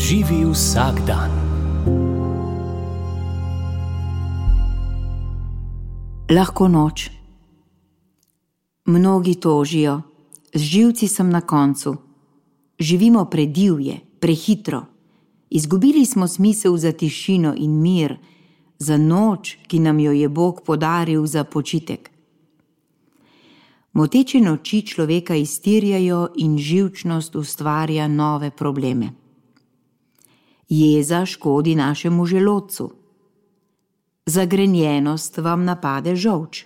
Živi vsak dan. Lahko noč. Mnogi tožijo, z živci sem na koncu. Živimo predivje, prehitro. Izgubili smo smisel za tišino in mir, za noč, ki nam jo je Bog podaril za počitek. Moteče noči človeka iztirjajo in živčnost ustvarja nove probleme. Jeza škodi našemu želodcu. Zagrenjenost vam napade žolč.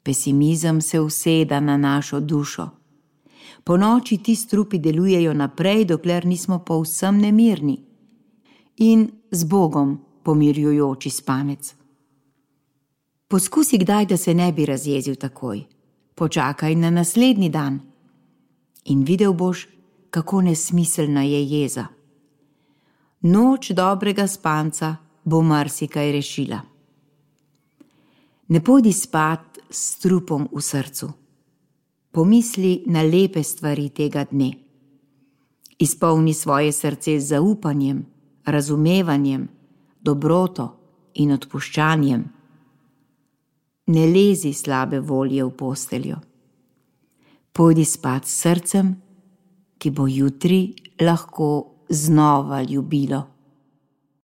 Pesimizem se useda na našo dušo. Ponoči ti strupi delujejo naprej, dokler nismo povsem nemirni. In z Bogom pomirjujoči spanec. Poskusi kdaj, da se ne bi razjezil takoj. Počakaj na naslednji dan. In videl boš, kako nesmiselna je jeza. Noč dobrega spanca bo marsikaj rešila. Ne pojdi spat s trupom v srcu. Pomisli na lepe stvari tega dne. Izpolni svoje srce z zaupanjem, razumevanjem, dobroto in odpuščanjem. Ne lezi slabe volje v posteljo. Pojdi spat s srcem, ki bo jutri lahko znova ljubilo.